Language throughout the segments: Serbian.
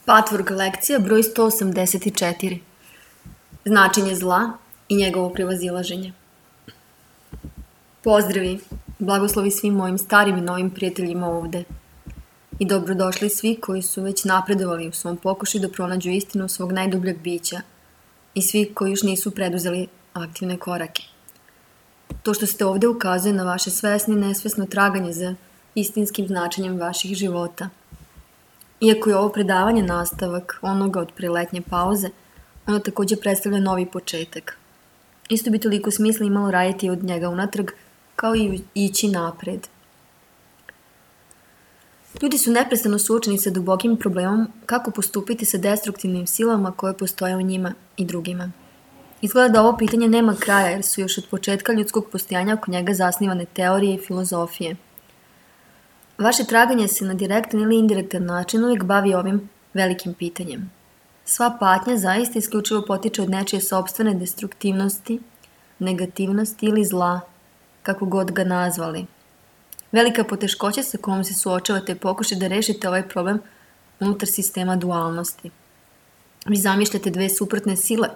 Patvork lekcija broj 184. Značenje zla i njegovo prevazilaženje. Pozdravi, blagoslovi svim mojim starim i novim prijateljima ovde. I dobrodošli svi koji su već napredovali u svom pokušaju da pronađu istinu svog najdubljeg bića i svi koji još nisu preduzeli aktivne korake. To što ste ovde ukazuje na vaše svesno i nesvesno traganje za istinskim značenjem vaših života. Iako je ovo predavanje nastavak onoga od preletnje pauze, ono takođe predstavlja novi početak. Isto bi toliko smisla imalo raditi od njega unatrag, kao i ići napred. Ljudi su neprestano suočeni sa dubokim problemom kako postupiti sa destruktivnim silama koje postoje u njima i drugima. Izgleda da ovo pitanje nema kraja jer su još od početka ljudskog postojanja oko njega zasnivane teorije i filozofije. Vaše traganje se na direktan ili indirektan način uvijek bavi ovim velikim pitanjem. Sva patnja zaista isključivo potiče od nečije sopstvene destruktivnosti, negativnosti ili zla, kako god ga nazvali. Velika poteškoća sa kojom se suočavate je pokušaj da rešite ovaj problem unutar sistema dualnosti. Vi zamišljate dve suprotne sile,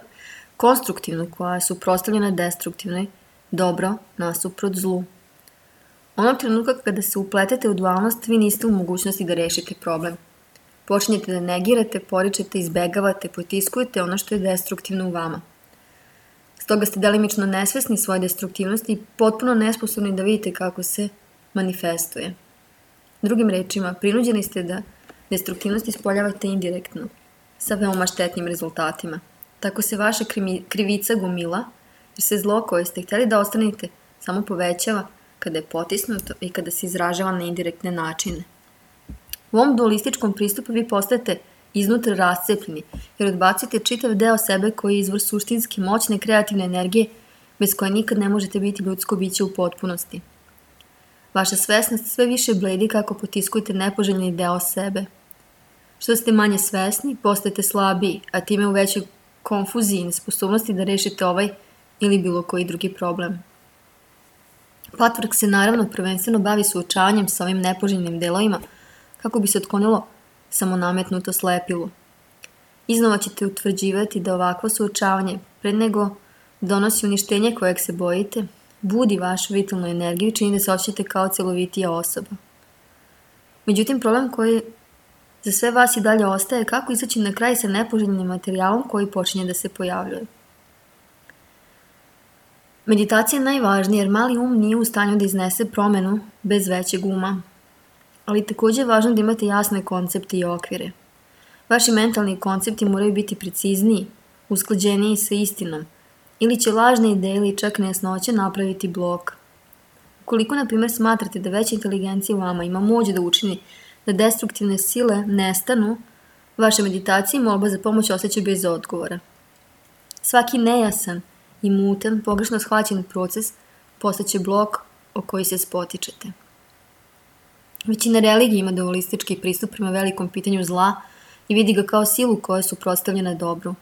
konstruktivnu koja je suprotstavljena destruktivnoj, dobro nasuprot zlu. Onog trenutka kada se upletete u dualnost, vi niste u mogućnosti da rešite problem. Počinjete da negirate, poričete, izbegavate, potiskujete ono što je destruktivno u vama. Stoga ste delimično nesvesni svoje destruktivnosti i potpuno nesposobni da vidite kako se manifestuje. Drugim rečima, prinuđeni ste da destruktivnost ispoljavate indirektno, sa veoma štetnim rezultatima. Tako se vaša krivica gomila, jer se zlo koje ste htjeli da ostanete samo povećava kada je potisnuto i kada se izražava na indirektne načine. U ovom dualističkom pristupu vi postajete iznutra rascepljeni, jer odbacite čitav deo sebe koji je izvor suštinske moćne kreativne energije bez koje nikad ne možete biti ljudsko biće u potpunosti. Vaša svesnost sve više bledi kako potiskujete nepoželjni deo sebe. Što ste manje svesni, postajete slabiji, a time u većoj konfuziji i nesposobnosti da rešite ovaj ili bilo koji drugi problem. Patvork se naravno prvenstveno bavi suočavanjem sa ovim nepoželjnim delovima kako bi se otklonilo samonametnuto slepilo. Iznova ćete utvrđivati da ovakvo suočavanje, pre nego donosi uništenje kojeg se bojite, budi vašu vitalnu energiju i čini da se osjećate kao celovitija osoba. Međutim, problem koji za sve vas i dalje ostaje kako izaći na kraj sa nepoželjnim materijalom koji počinje da se pojavljuje. Meditacija je najvažnija jer mali um nije u stanju da iznese promenu bez većeg uma. Ali takođe je važno da imate jasne koncepte i okvire. Vaši mentalni koncepti moraju biti precizniji, usklađeniji sa istinom, ili će lažne ideje ili čak nejasnoće napraviti blok. Ukoliko, na primjer, smatrate da veća inteligencija u vama ima moć da učini da destruktivne sile nestanu, vaša meditacija i molba za pomoć osjeća bez odgovora. Svaki nejasan i mutan, pogrešno shvaćen proces postaće blok o koji se spotičete. Većina religija ima dualistički pristup prema velikom pitanju zla i vidi ga kao silu koja je suprotstavljena dobru.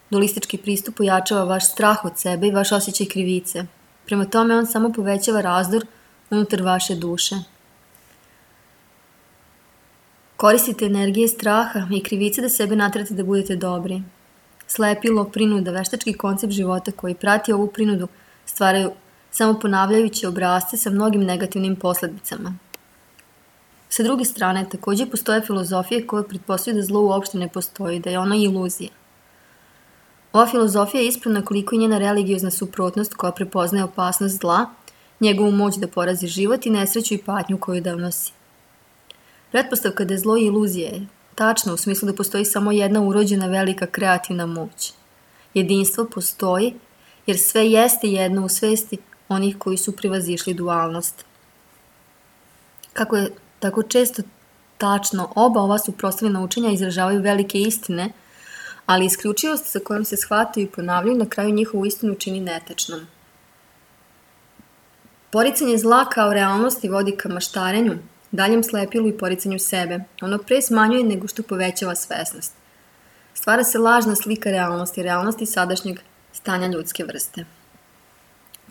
Dualistički pristup ojačava vaš strah od sebe i vaš osjećaj krivice. Prema tome on samo povećava razdor unutar vaše duše. Koristite energije straha i krivice da sebe naterate da budete dobri. Slepilo, prinuda, veštački koncept života koji prati ovu prinudu stvaraju samo ponavljajuće obrasce sa mnogim negativnim posledicama. Sa druge strane, takođe postoje filozofije koje pretpostavljaju da zlo uopšte ne postoji, da je ono iluzija. Ova filozofija je ispravna koliko je njena religiozna suprotnost koja prepoznaje opasnost zla, njegovu moć da porazi život i nesreću i patnju koju donosi. Pretpostavka da je zlo iluzija je tačno u smislu da postoji samo jedna urođena velika kreativna moć. Jedinstvo postoji jer sve jeste jedno u svesti onih koji su prevazišli dualnost. Kako je tako često tačno, oba ova suprotstavljena učenja izražavaju velike istine, ali isključivost sa kojom se shvataju i ponavljaju na kraju njihovu istinu čini netačnom. Poricanje zla kao realnosti vodi ka maštarenju, daljem slepilu i poricanju sebe. Ono pre smanjuje nego što povećava svesnost. Stvara se lažna slika realnosti sadašnjeg stanja ljudske vrste.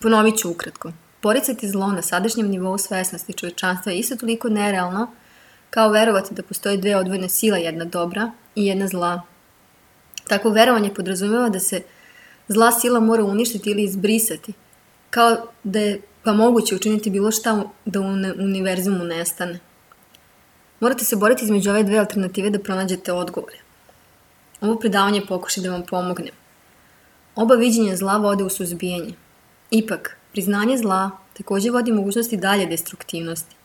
Ponovit ću ukratko. Poricati zlo na sadašnjem nivou svesnosti čovečanstva je isto toliko nerealno kao verovati da postoje dve odvojene sile, jedna dobra i jedna zla. Takvo verovanje podrazumeva da se zla sila mora uništiti ili izbrisati, kao da je pa moguće učiniti bilo šta da u univerzumu nestane. Morate se boriti između ove dve alternative da pronađete odgovore. Ovo predavanje pokuša da vam pomogne. Oba viđenja zla vode u suzbijanje. Ipak, priznanje zla također vodi mogućnosti dalje destruktivnosti.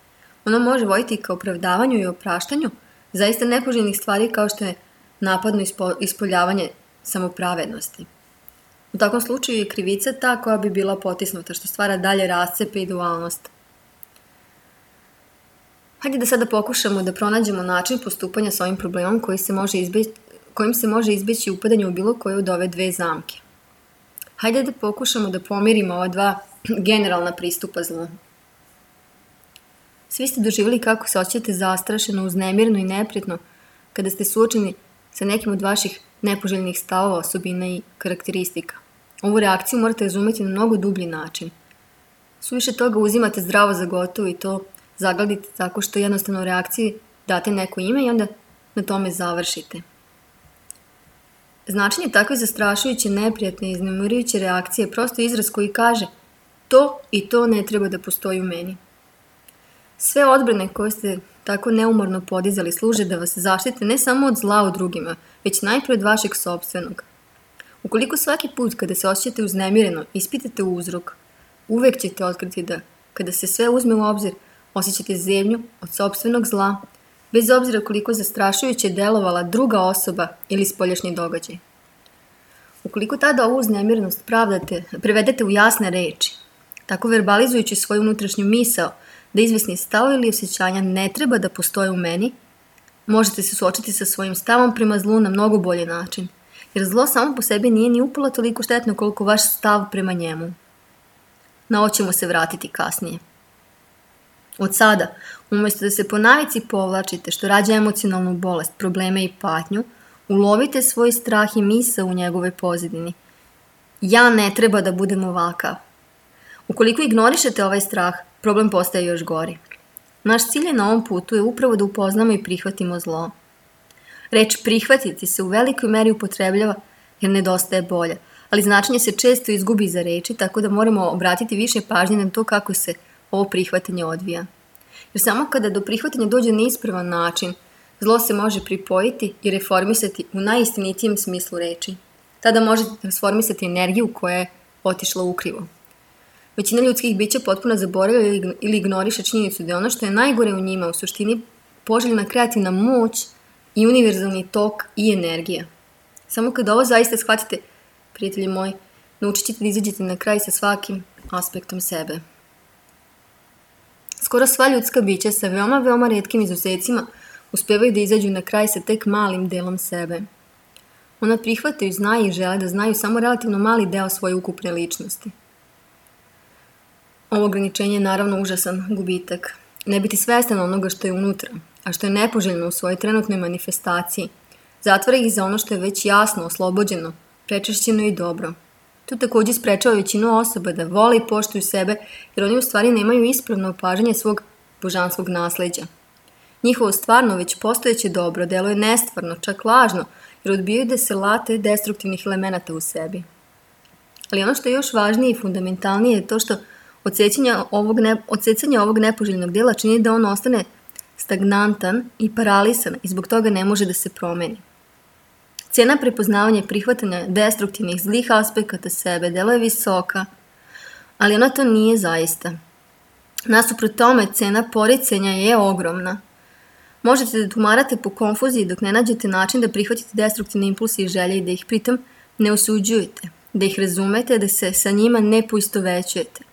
Ono može voditi ka opravdavanju i opraštanju zaista nepoželjnih stvari kao što je napadno ispoljavanje samopravednosti. U takvom slučaju je krivica ta koja bi bila potisnuta, što stvara dalje rascepe i dualnost. Hajde da sada pokušamo da pronađemo način postupanja s ovim problemom kojim se može izbeći upadanje u bilo koju od ove dve zamke. Hajde da pokušamo da pomirimo ova dva generalna pristupa zlu. Svi ste doživjeli kako se osjećate zastrašeno, uznemireno i neprijatno kada ste suočeni sa nekim od vaših nepoželjnih stavova, osobina i karakteristika. Ovu reakciju morate razumjeti na mnogo dublji način. Suviše toga uzimate zdravo za gotovo i to zagladite tako što jednostavno u reakciji date neko ime i onda na tome završite. Značenje takve zastrašujuće, neprijatne i iznemirujuće reakcije je prosto izraz koji kaže to i to ne treba da postoji u meni. Sve odbrane koje ste tako neumorno podizali služe da vas zaštite ne samo od zla u drugima, već najprije od vašeg sopstvenog. Ukoliko svaki put kada se osjećate uznemireno ispitate uzrok, uvek ćete otkriti da, kada se sve uzme u obzir, osjećate zevnju od sopstvenog zla, bez obzira koliko zastrašujuće delovala druga osoba ili spoljašnji događaj. Ukoliko tada ovu uznemirenost prevedete u jasne reči, tako verbalizujući svoju unutrašnju misao da izvesni stavovi ili osjećanja ne treba da postoje u meni, možete se suočiti sa svojim stavom prema zlu na mnogo bolji način, jer zlo samo po sebi nije ni upola toliko štetno koliko vaš stav prema njemu. Na ovo ćemo se vratiti kasnije. Od sada, umjesto da se po navici povlačite što rađa emocionalnu bolest, probleme i patnju, ulovite svoj strah i misao u njegovoj pozadini. Ja ne treba da budem ovakav. Ukoliko ignorišete ovaj strah, problem postaje još gori. Naš cilj na ovom putu je upravo da upoznamo i prihvatimo zlo. Reč prihvatiti se u velikoj meri upotrebljava jer nedostaje bolje, ali značenje se često izgubi za reči, tako da moramo obratiti više pažnje na to kako se ovo prihvatanje odvija. Jer samo kada do prihvatanja dođe na ispravan način, zlo se može pripojiti i reformisati u najistinitijem smislu reči. Tada možete transformisati energiju koja je otišla ukrivo. Većina ljudskih bića potpuno zaboravlja ili ignoriše činjenicu da je ono što je najgore u njima u suštini poželjna kreativna moć i univerzalni tok i energija. Samo kada ovo zaista shvatite, prijatelji moji, naučit ćete da izađete na kraj sa svakim aspektom sebe. Skoro sva ljudska bića sa veoma retkim izuzecima uspevaju da izađu na kraj sa tek malim delom sebe. Ona prihvataju, znaju i žele da znaju samo relativno mali deo svoje ukupne ličnosti. Ovo ograničenje je naravno užasan gubitak. Ne biti svestan onoga što je unutra, a što je nepoželjno u svojoj trenutnoj manifestaciji, zatvara ih za ono što je već jasno, oslobođeno, prečešćeno i dobro. To također sprečava većinu osoba da vole i poštuju sebe, jer oni u stvari nemaju ispravno opažanje svog božanskog nasleđa. Njihovo stvarno već postojeće dobro deluje nestvarno, čak lažno, jer odbijaju da se late destruktivnih elemenata u sebi. Ali ono što je još važnije i fundamentalnije je to što odsecanje ovog nepoželjnog dela čini da on ostane stagnantan i paralisan i zbog toga ne može da se promeni. Cijena prepoznavanja i prihvatanja destruktivnih zlih aspekata sebe delo je visoka, ali ona to nije zaista. Nasuprot tome, cena poricanja je ogromna. Možete da tumarate po konfuziji dok ne nađete način da prihvatite destruktivne impulse i želje i da ih pritom ne osuđujete, da ih razumete, da se sa njima ne poistovećujete.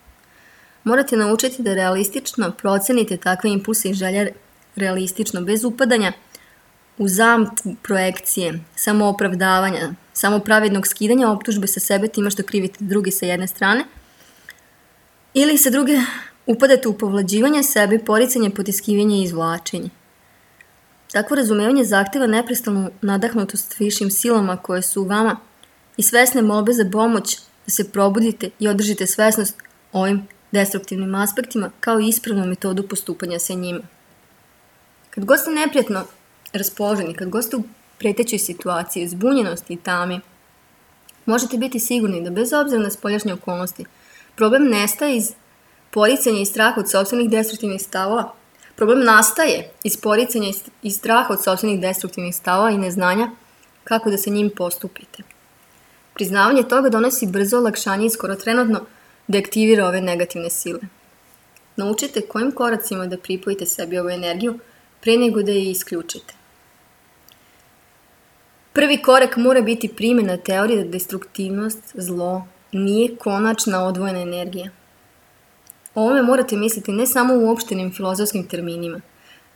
Morate naučiti da realistično procenite takve impulse i želje realistično, bez upadanja u zamku projekcije, samoopravdavanja, samopravednog skidanja optužbe sa sebe time što krivite drugi sa jedne strane, ili sa druge upadate u povlađivanje sebe, poricanje, potiskivanje i izvlačenje. Takvo razumevanje zahteva neprestanu nadahnutost višim silama koje su u vama i svesne molbe za pomoć da se probudite i održite svesnost ovim destruktivnim aspektima kao i ispravnu metodu postupanja sa njima. Kad god ste neprijatno raspoloženi, kad god ste u pretećoj situaciji, zbunjenosti i tami, možete biti sigurni da bez obzira na spoljašnje okolnosti, problem nestaje iz poricanja i straha od sopstvenih destruktivnih stavova. Problem nastaje iz poricanja i straha od sopstvenih destruktivnih stavova i neznanja kako da se njim postupite. Priznavanje toga donosi brzo olakšanje i skoro trenutno deaktivira ove negativne sile. Naučite kojim koracima da pripojite sebi ovu energiju pre nego da je isključite. Prvi korak mora biti primjena teorije da destruktivnost, zlo, nije konačna odvojena energija. O ovome morate misliti ne samo u uopštenim filozofskim terminima.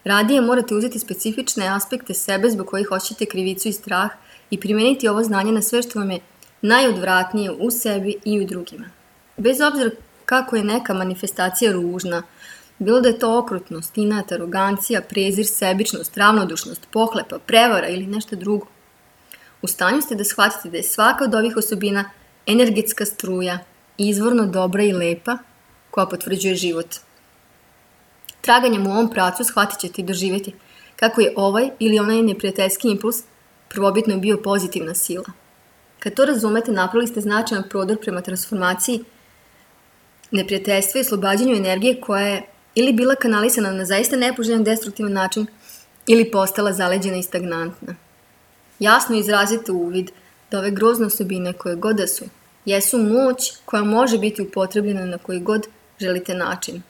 Radije morate uzeti specifične aspekte sebe zbog kojih hoćete krivicu i strah i primijeniti ovo znanje na sve što vam je najodvratnije u sebi i u drugima. Bez obzira kako je neka manifestacija ružna, bilo da je to okrutnost, inat, arogancija, prezir, sebičnost, ravnodušnost, pohlepa, prevara ili nešto drugo. U stanju ste da shvatite da je svaka od ovih osobina energetska struja, izvorno dobra i lepa, koja potvrđuje život. Traganjem u ovom pravcu shvatit ćete i doživjeti kako je ovaj ili onaj neprijateljski impuls prvobitno bio pozitivna sila. Kad to razumete, napravili ste značajan prodor prema transformaciji neprijateljstva i oslobađanju energije koja je ili bila kanalisana na zaista nepoželjan destruktivan način ili postala zaleđena i stagnantna. Jasno izrazite uvid da ove grozne osobine koje god da su, jesu moć koja može biti upotrebljena na koji god želite način.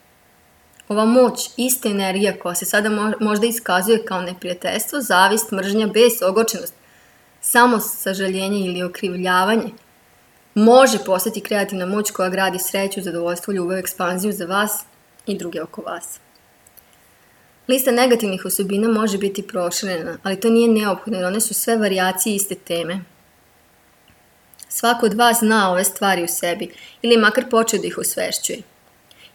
Ova moć, ista energija koja se sada možda iskazuje kao neprijateljstvo, zavist, mržnja, bes, ogorčenost, samo sažaljenje ili okrivljavanje, može postati kreativna moć koja gradi sreću, zadovoljstvo, ljubav, ekspanziju za vas i druge oko vas. Lista negativnih osobina može biti proširena, ali to nije neophodno jer one su sve varijacije iste teme. Svako od vas zna ove stvari u sebi ili makar počeo da ih osvešćuje.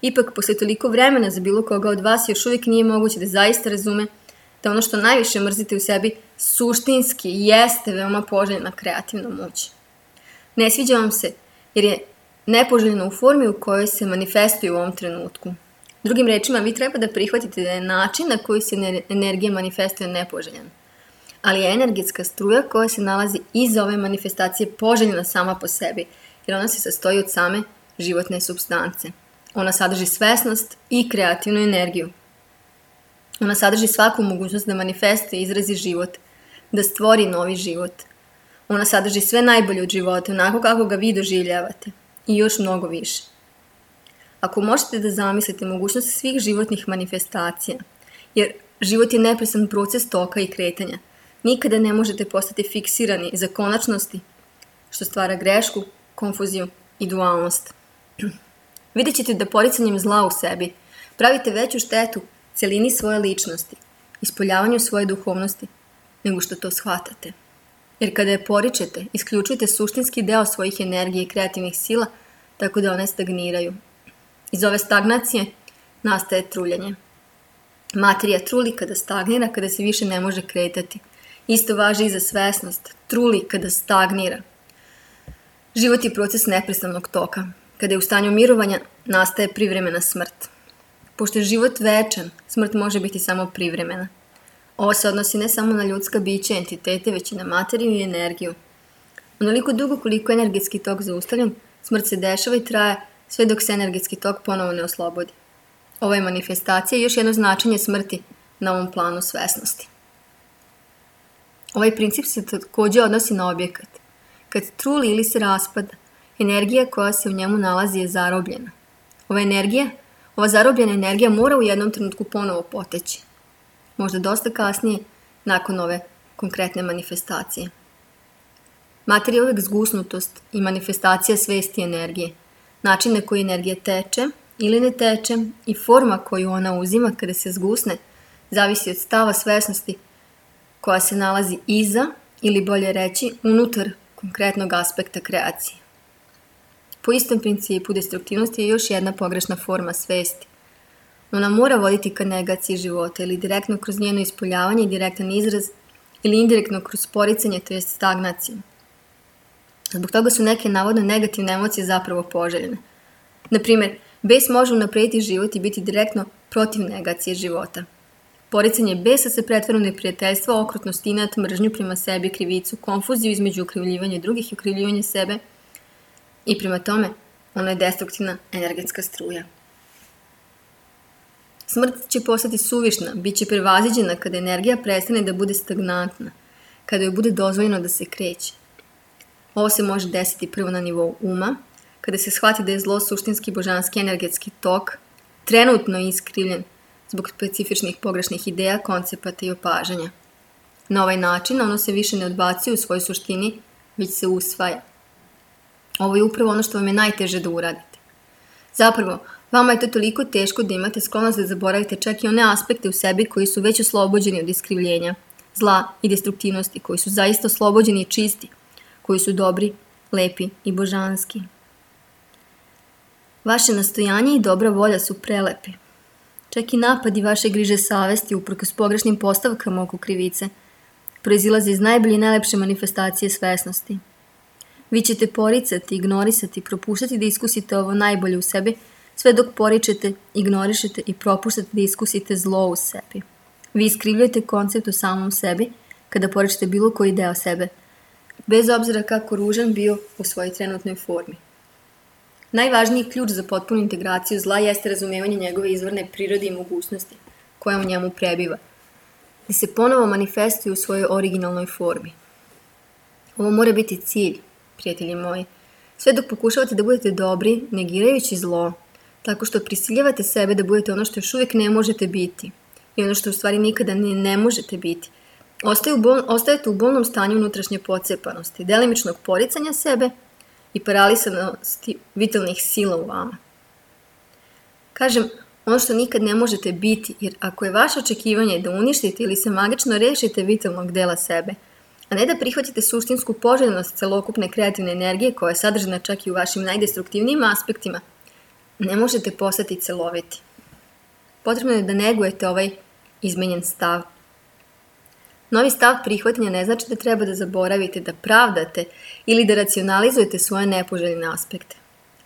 Ipak, posle toliko vremena za bilo koga od vas još uvijek nije moguće da zaista razume da ono što najviše mrzite u sebi suštinski jeste veoma poželjna kreativna moć. Ne sviđa vam se jer je nepoželjna u formi u kojoj se manifestuje u ovom trenutku. Drugim rečima, vi treba da prihvatite da je način na koji se energija manifestuje nepoželjan. Ali je energetska struja koja se nalazi iza ove manifestacije poželjna sama po sebi, jer ona se sastoji od same životne supstance. Ona sadrži svesnost i kreativnu energiju. Ona sadrži svaku mogućnost da manifestuje i izrazi život, da stvori novi život. Ona sadrži sve najbolje od života, onako kako ga vi doživljavate. I još mnogo više. Ako možete da zamislite mogućnost svih životnih manifestacija, jer život je neprestan proces toka i kretanja, nikada ne možete postati fiksirani za konačnosti, što stvara grešku, konfuziju i dualnost. Vidjet ćete da poricanjem zla u sebi pravite veću štetu celini svoje ličnosti, ispoljavanju svoje duhovnosti, nego što to shvatate. Jer kada je poričete, isključujete suštinski deo svojih energije i kreativnih sila, tako da one stagniraju. Iz ove stagnacije nastaje truljanje. Materija truli kada stagnira, kada se više ne može kretati. Isto važi i za svesnost. Truli kada stagnira. Život je proces neprestanog toka. Kada je u stanju mirovanja, nastaje privremena smrt. Pošto je život večan, smrt može biti samo privremena. Ovo se odnosi ne samo na ljudska bića, entitete, već i na materiju i energiju. Onoliko dugo koliko je energetski tok zaustavljen, smrt se dešava i traje sve dok se energetski tok ponovo ne oslobodi. Ovo je manifestacija i još jedno značenje smrti na ovom planu svesnosti. Ovaj princip se također odnosi na objekat. Kad truli ili se raspada, energija koja se u njemu nalazi je zarobljena. Ova zarobljena energija mora u jednom trenutku ponovo poteći. Možda dosta kasnije, nakon ove konkretne manifestacije. Materija je uvijek zgusnutost i manifestacija svesti energije. Način na koji energija teče ili ne teče i forma koju ona uzima kada se zgusne zavisi od stava svesnosti koja se nalazi iza ili bolje reći unutar konkretnog aspekta kreacije. Po istom principu destruktivnost je još jedna pogrešna forma svesti. Ona mora voditi ka negaciji života ili direktno kroz njeno ispoljavanje, direktan izraz ili indirektno kroz poricanje, to jest stagnaciju. Zbog toga su neke navodno negativne emocije zapravo poželjene. Naprimjer, bes može unaprediti život i biti direktno protiv negacije života. Poricanje besa se pretvara u neprijateljstvo, okrutnost, inat, mržnju prema sebi, krivicu, konfuziju između okrivljivanja drugih i okrivljivanja sebe i prema tome ono je destruktivna energetska struja. Smrt će postati suvišna, bit će prevaziđena kada energija prestane da bude stagnantna, kada joj bude dozvoljeno da se kreće. Ovo se može desiti prvo na nivou uma, kada se shvati da je zlo suštinski božanski energetski tok, trenutno iskrivljen zbog specifičnih pogrešnih ideja, koncepata i opažanja. Na ovaj način ono se više ne odbacuje u svojoj suštini, već se usvaja. Ovo je upravo ono što vam je najteže da uradite. Zapravo, vama je to toliko teško da imate sklonost da zaboravite čak i one aspekte u sebi koji su već oslobođeni od iskrivljenja, zla i destruktivnosti, koji su zaista oslobođeni i čisti, koji su dobri, lepi i božanski. Vaše nastojanje i dobra volja su prelepi. Čak i napadi vaše griže savesti uprkos pogrešnim postavkama oko krivice proizilaze iz najbolje i najlepše manifestacije svesnosti. Vi ćete poricati, ignorisati, propuštati da iskusite ovo najbolje u sebi, sve dok poričete, ignorišete i propuštate da iskusite zlo u sebi. Vi iskrivljujete koncept o samom sebi kada poričete bilo koji deo sebe, bez obzira kako ružan bio u svojoj trenutnoj formi. Najvažniji ključ za potpunu integraciju zla jeste razumevanje njegove izvorne prirode i mogućnosti koja u njemu prebiva, da se ponovo manifestuje u svojoj originalnoj formi. Ovo mora biti cilj, prijatelji moji, sve dok pokušavate da budete dobri, negirajući zlo, tako što prisiljavate sebe da budete ono što još uvijek ne možete biti i ono što u stvari nikada ne možete biti. Ostajete u bolnom stanju unutrašnje pocepanosti, delimičnog poricanja sebe i paralisanosti vitalnih sila u vama. Kažem, ono što nikad ne možete biti, jer ako je vaše očekivanje da uništite ili se magično rešite vitalnog dela sebe, a ne da prihvatite suštinsku poželjnost celokupne kreativne energije koja je sadržana čak i u vašim najdestruktivnijim aspektima, ne možete postati celoviti. Potrebno je da negujete ovaj izmenjen stav. Novi stav prihvatanja ne znači da treba da zaboravite, da pravdate ili da racionalizujete svoje nepoželjne aspekte.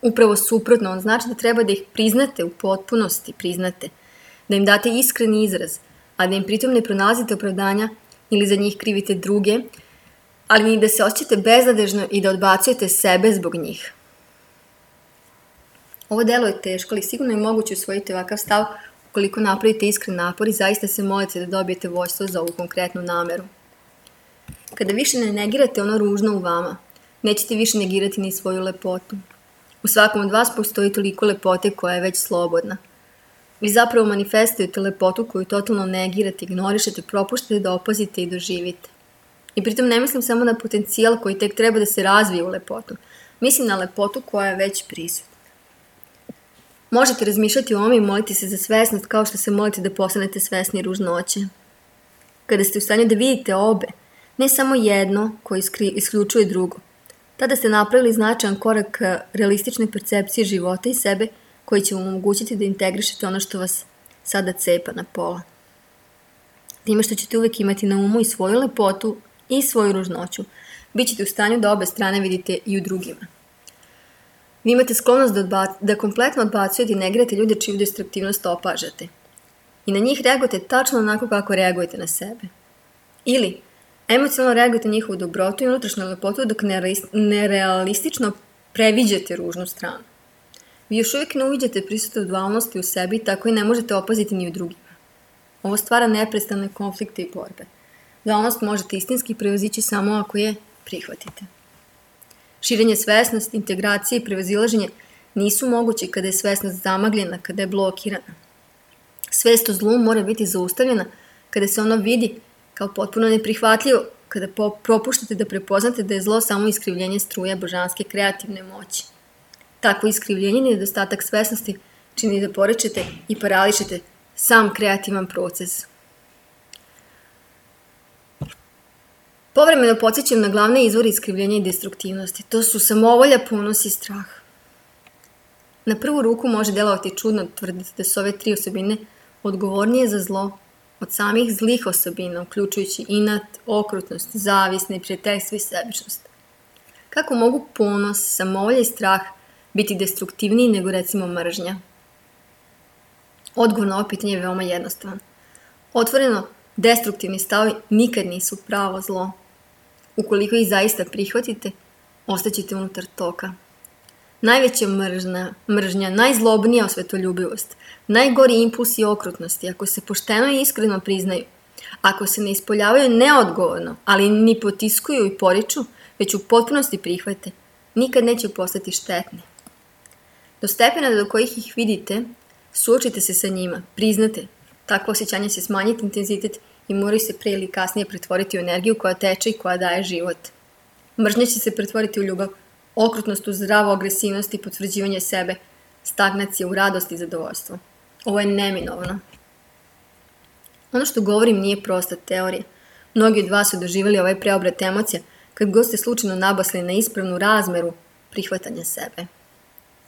Upravo suprotno, on znači da treba da ih priznate u potpunosti, da im date iskren izraz, a da im pritom ne pronalazite opravdanja ili za njih krivite druge, ali ni da se osjećate beznadežno i da odbacujete sebe zbog njih. Ovo delo je teško, ali sigurno je moguće usvojiti ovakav stav ukoliko napravite iskren napor i zaista se molite da dobijete vođstvo za ovu konkretnu nameru. Kada više ne negirate ono ružno u vama, nećete više negirati ni svoju lepotu. U svakom od vas postoji toliko lepote koja je već slobodna. Vi zapravo manifestujete lepotu koju totalno negirate, ignorišete, propuštate da opazite i doživite. I pritom ne mislim samo na potencijal koji tek treba da se razvije u lepotu. Mislim na lepotu koja je već prisutna. Možete razmišljati o ovome i moliti se za svesnost kao što se molite da postanete svesni ružnoće. Kada ste u stanju da vidite obe, ne samo jedno koje isključuje drugo, tada ste napravili značajan korak ka realističnoj percepciji života i sebe koji će vam omogućiti da integrišete ono što vas sada cepa na pola. Time što ćete uvijek imati na umu i svoju lepotu i svoju ružnoću, bit ćete u stanju da obe strane vidite i u drugima. Vi imate sklonost da kompletno odbacujete i negirate ljude čiju destruktivnost opažate. I na njih reagujete tačno onako kako reagujete na sebe. Ili emocionalno reagujete na njihovu dobrotu i unutrašnju lepotu dok nerealistično previđate ružnu stranu. Vi još uvijek ne uviđate prisutno dualnosti u sebi, tako i ne možete opaziti ni u drugima. Ovo stvara neprestane konflikte i borbe. Dualnost možete istinski prevazići samo ako je prihvatite. Širenje svesnosti, integracije i prevazilaženje nisu mogući kada je svesnost zamagljena, kada je blokirana. Svest o zlu mora biti zaustavljena kada se ono vidi kao potpuno neprihvatljivo, kada propuštate da prepoznate da je zlo samo iskrivljenje struje božanske kreativne moći. Takvo iskrivljenje i nedostatak svesnosti čini da porečete i parališete sam kreativan proces. Povremeno podsjećam na glavne izvore iskrivljenja i destruktivnosti. To su samovolja, ponos i strah. Na prvu ruku može delovati čudno tvrditi da su ove tri osobine odgovornije za zlo od samih zlih osobina, uključujući inat, okrutnost, zavist, neprijateljstvo i sebičnost. Kako mogu ponos, samovolja i strah biti destruktivniji nego recimo mržnja? Odgovor na ovo pitanje je veoma jednostavan. Otvoreno, destruktivni stavovi nikad nisu pravo zlo. Ukoliko ih zaista prihvatite, ostaćete unutar toka. Najveća mržnja, najzlobnija osvetoljubivost, najgori impulsi okrutnosti, ako se pošteno i iskreno priznaju, ako se ne ispoljavaju neodgovorno, ali ni potiskuju i poriču, već u potpunosti prihvate, nikad neće postati štetni. Do stepena do kojih ih vidite, suočite se sa njima, priznate, takvo osjećanje će smanjiti intenzitet i moraju se prije ili kasnije pretvoriti u energiju koja teče i koja daje život. Mržnja će se pretvoriti u ljubav, okrutnost u zdravu agresivnost i potvrđivanje sebe, stagnacija u radost i zadovoljstvo. Ovo je neminovno. Ono što govorim nije prosta teorija. Mnogi od vas su doživjeli ovaj preobrat emocija kad god ste slučajno nabasli na ispravnu razmeru prihvatanja sebe.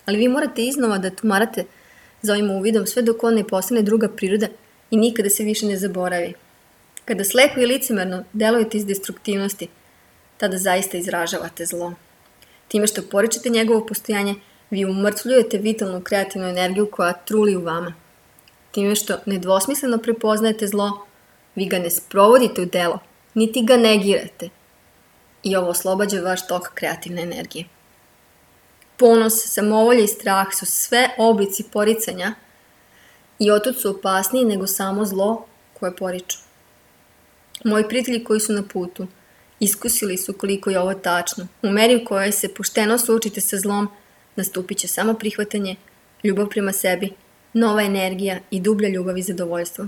Ali vi morate iznova da tumarate za ovim uvidom sve dok on ne postane druga priroda i nikada se više ne zaboravi. Kada slepo i licemerno delujete iz destruktivnosti, tada zaista izražavate zlo. Time što poričete njegovo postojanje, vi umrtvljujete vitalnu kreativnu energiju koja truli u vama. Time što nedvosmisleno prepoznajete zlo, vi ga ne sprovodite u delo, niti ga negirate. I ovo oslobađa vaš tok kreativne energije. Ponos, samovolja i strah su sve oblici poricanja i otud su opasniji nego samo zlo koje poriču. Moji prijatelji koji su na putu iskusili su koliko je ovo tačno. U meri u kojoj se pošteno suočite sa zlom, nastupit će samo prihvatanje, ljubav prema sebi, nova energija i dublja ljubav i zadovoljstvo.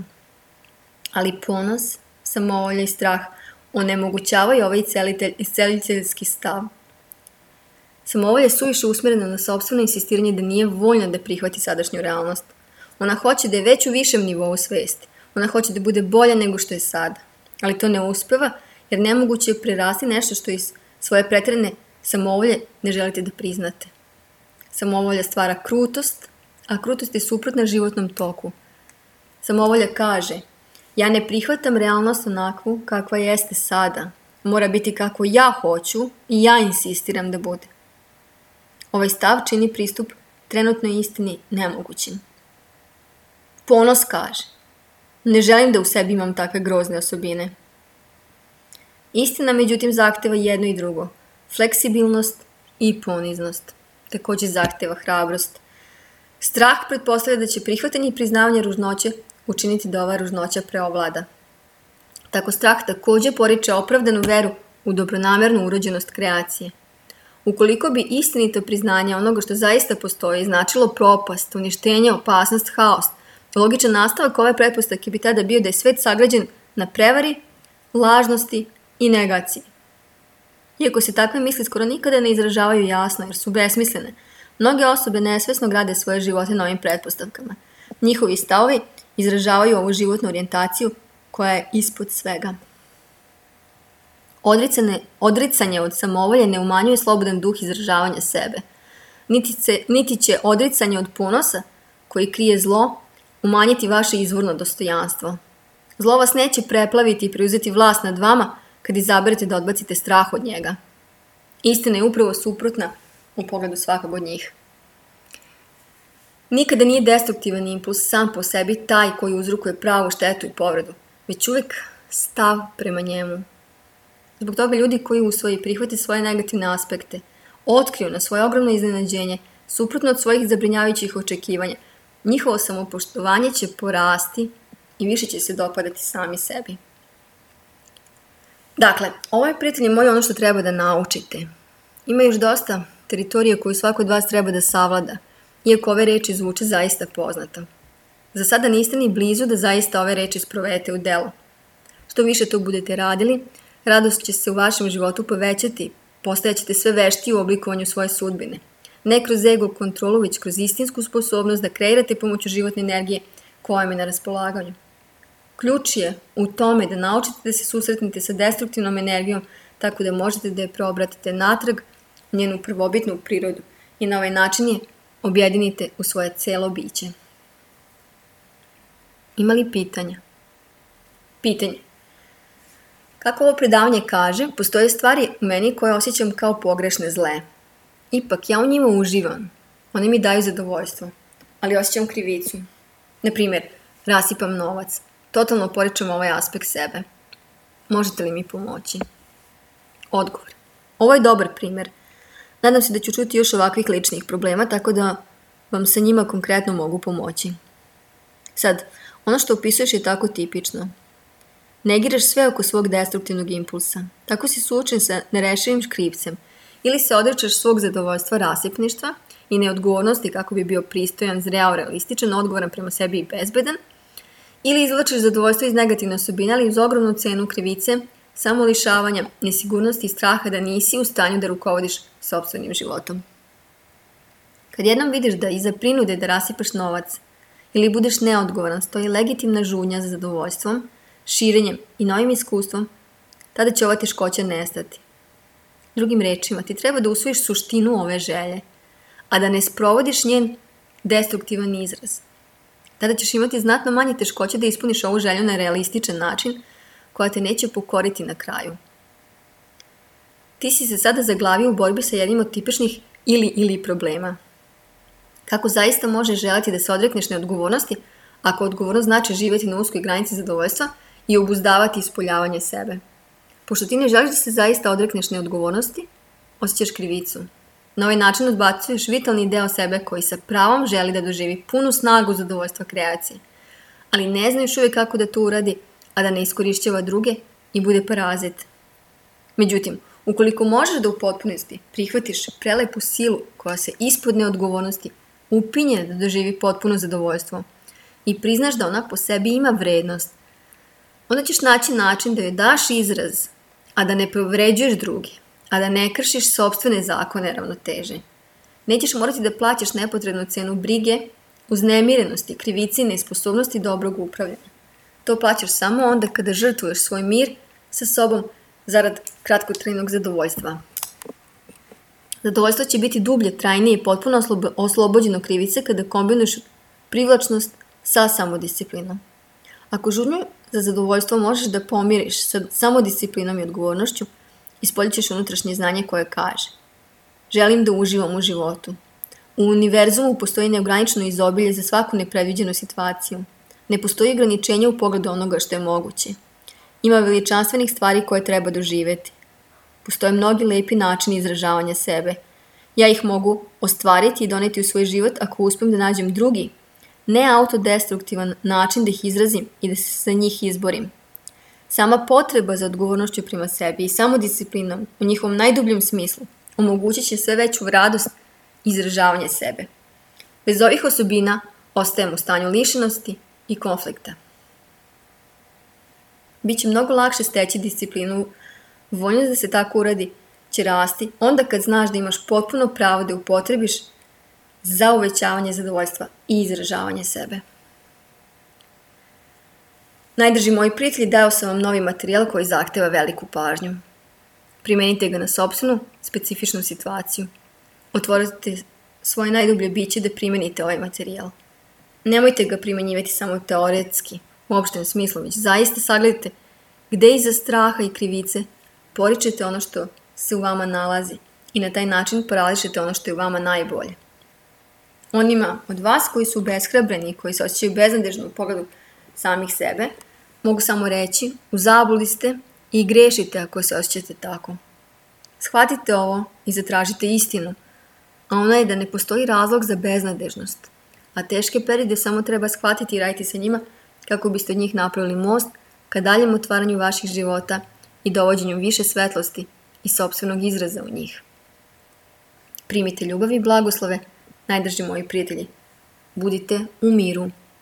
Ali ponos, samovolja i strah onemogućavaju ovaj isceliteljski stav. Samovolja je suviše usmjerena na sopstveno insistiranje da nije voljna da prihvati sadašnju realnost. Ona hoće da je već u višem nivou svesti. Ona hoće da bude bolja nego što je sada. Ali to ne uspeva jer nemoguće je prerasti nešto što iz svoje pretjerane samovolje ne želite da priznate. Samovolja stvara krutost, a krutost je suprotna životnom toku. Samovolja kaže, ja ne prihvatam realnost onakvu kakva jeste sada. Mora biti kako ja hoću i ja insistiram da bude. Ovaj stav čini pristup trenutnoj istini nemogućim. Ponos kaže, ne želim da u sebi imam takve grozne osobine. Istina, međutim, zahteva jedno i drugo, fleksibilnost i poniznost. Također zahteva hrabrost. Strah pretpostavlja da će prihvatanje i priznavanje ružnoće učiniti da ova ružnoća preovlada. Tako strah također poriče opravdanu veru u dobronamernu urođenost kreacije. Ukoliko bi istinito priznanje onoga što zaista postoji značilo propast, uništenje, opasnost, haos, logičan nastavak ove pretpostavke bi tada bio da je svet sagrađen na prevari, lažnosti i negaciji. Iako se takve misli skoro nikada ne izražavaju jasno jer su besmislene, mnoge osobe nesvesno grade svoje živote na ovim pretpostavkama. Njihovi stavovi izražavaju ovu životnu orijentaciju koja je ispod svega. Odricanje od samovolje ne umanjuje slobodan duh izražavanja sebe. Niti će odricanje od ponosa, koji krije zlo, umanjiti vaše izvorno dostojanstvo. Zlo vas neće preplaviti i preuzeti vlast nad vama kad izaberete da odbacite strah od njega. Istina je upravo suprotna u pogledu svakog od njih. Nikada nije destruktivan impuls sam po sebi taj koji uzrokuje pravu štetu i povredu, već uvijek stav prema njemu. Zbog toga ljudi koji usvoje i prihvate svoje negativne aspekte, otkriju na svoje ogromno iznenađenje, suprotno od svojih zabrinjavajućih očekivanja, njihovo samopoštovanje će porasti i više će se dopadati sami sebi. Dakle, ovo je, prijatelji moji, ono što treba da naučite. Ima još dosta teritorije koju svako od vas treba da savlada, iako ove reči zvuče zaista poznato. Za sada niste ni blizu da zaista ove reči sprovedete u delo. Što više to budete radili, radost će se u vašem životu povećati, postajaćete sve veštiji u oblikovanju svoje sudbine. Ne kroz ego kontrolu, već kroz istinsku sposobnost da kreirate pomoću životne energije koja vam je na raspolaganju. Ključ je u tome da naučite da se susretnete sa destruktivnom energijom tako da možete da je preobratite natrag u njenu prvobitnu prirodu i na ovaj način je objedinite u svoje celo biće. Ima li pitanja? Pitanje. Kako ovo predavanje kaže, postoje stvari u meni koje osjećam kao pogrešne zle. Ipak ja u njima uživam. One mi daju zadovoljstvo, ali osjećam krivicu. Na primjer, rasipam novac. Totalno poričem ovaj aspekt sebe. Možete li mi pomoći? Odgovor. Ovo je dobar primjer. Nadam se da ću čuti još ovakvih ličnih problema, tako da vam sa njima konkretno mogu pomoći. Sad, ono što opisuješ je tako tipično. Negiraš sve oko svog destruktivnog impulsa. Tako si suočen sa nerešivim škripcem. Ili se odričeš svog zadovoljstva rasipništva i neodgovornosti kako bi bio pristojan, zreo, realističan, odgovoran prema sebi i bezbedan, ili izvlačiš zadovoljstvo iz negativne osobine, ali uz ogromnu cenu krivice, samolišavanja, nesigurnosti i straha da nisi u stanju da rukovodiš sopstvenim životom. Kad jednom vidiš da iza prinude da rasipaš novac ili budeš neodgovoran stoji legitimna žudnja za zadovoljstvom, širenjem i novim iskustvom, tada će ova teškoća nestati. Drugim rečima, ti treba da usvojiš suštinu ove želje, a da ne sprovodiš njen destruktivan izraz. Tada ćeš imati znatno manje teškoće da ispuniš ovu želju na realističan način, koja te neće pokoriti na kraju. Ti si se sada zaglavio u borbi sa jednim od tipičnih ili problema. Kako zaista možeš želiti da se odrekneš neodgovornosti, ako odgovornost znači živjeti na uskoj granici zadovoljstva i obuzdavati ispoljavanje sebe? Pošto ti ne želiš da se zaista odrekneš neodgovornosti, osjećaš krivicu. Na ovaj način odbacuješ vitalni deo sebe koji sa pravom želi da doživi punu snagu zadovoljstva kreacije, ali ne znaš uvijek kako da to uradi, a da ne iskorišćava druge i bude parazit. Međutim, ukoliko možeš da u potpunosti prihvatiš prelepu silu koja se ispod neodgovornosti upinje da doživi potpuno zadovoljstvo i priznaš da ona po sebi ima vrednost, onda ćeš naći način da joj daš izraz, a da ne povređuješ druge, a da ne kršiš sopstvene zakone ravnoteže. Nećeš morati da plaćaš nepotrebnu cenu brige, uznemirenosti, krivici i nesposobnosti dobrog upravljanja. To plaćaš samo onda kada žrtvuješ svoj mir sa sobom zarad kratkotrajnog zadovoljstva. Zadovoljstvo će biti dublje, trajnije i potpuno oslobođeno krivice kada kombinuješ privlačnost sa samodisciplinom. Ako žudnju za zadovoljstvo možeš da pomiriš sa samodisciplinom i odgovornošću, ispoljit ćeš unutrašnje znanje koje kaže: želim da uživam u životu. U univerzumu postoji neograničeno izobilje za svaku nepredviđenu situaciju. Ne postoji ograničenje u pogledu onoga što je moguće. Ima veličanstvenih stvari koje treba doživjeti. Postoje mnogi lepi načini izražavanja sebe. Ja ih mogu ostvariti i doneti u svoj život ako uspijem da nađem drugi, ne autodestruktivan način da ih izrazim i da se sa njih izborim. Sama potreba za odgovornošću prema sebi i samodisciplinom u njihovom najdubljem smislu omogućit će sve veću radost i izražavanje sebe. Bez ovih osobina ostajemo u stanju lišenosti i konflikta. Biće mnogo lakše steći disciplinu, voljnost da se tako uradi će rasti onda kad znaš da imaš potpuno pravo da upotrebiš za uvećavanje zadovoljstva i izražavanje sebe. Najdrži moji prijatelji, dao sam vam novi materijal koji zahteva veliku pažnju. Primenite ga na sopstvenu, specifičnu situaciju. Otvorite svoje najdublje biće da primenite ovaj materijal. Nemojte ga primenjivati samo teoretski, u opštem smislu, već zaista sagledajte gde iza straha i krivice poričete ono što se u vama nalazi i na taj način parališete ono što je u vama najbolje. Onima od vas koji su obeshrabreni i koji se osjećaju beznadežno u pogledu samih sebe, mogu samo reći: u zabludi ste i grešite ako se osjećate tako. Shvatite ovo i zatražite istinu, a ona je da ne postoji razlog za beznadežnost, a teške periode samo treba shvatiti i raditi sa njima kako biste od njih napravili most ka daljem otvaranju vaših života i dovođenju više svetlosti i sopstvenog izraza u njih. Primite ljubav i blagoslove, najdrži moji prijatelji. Budite u miru.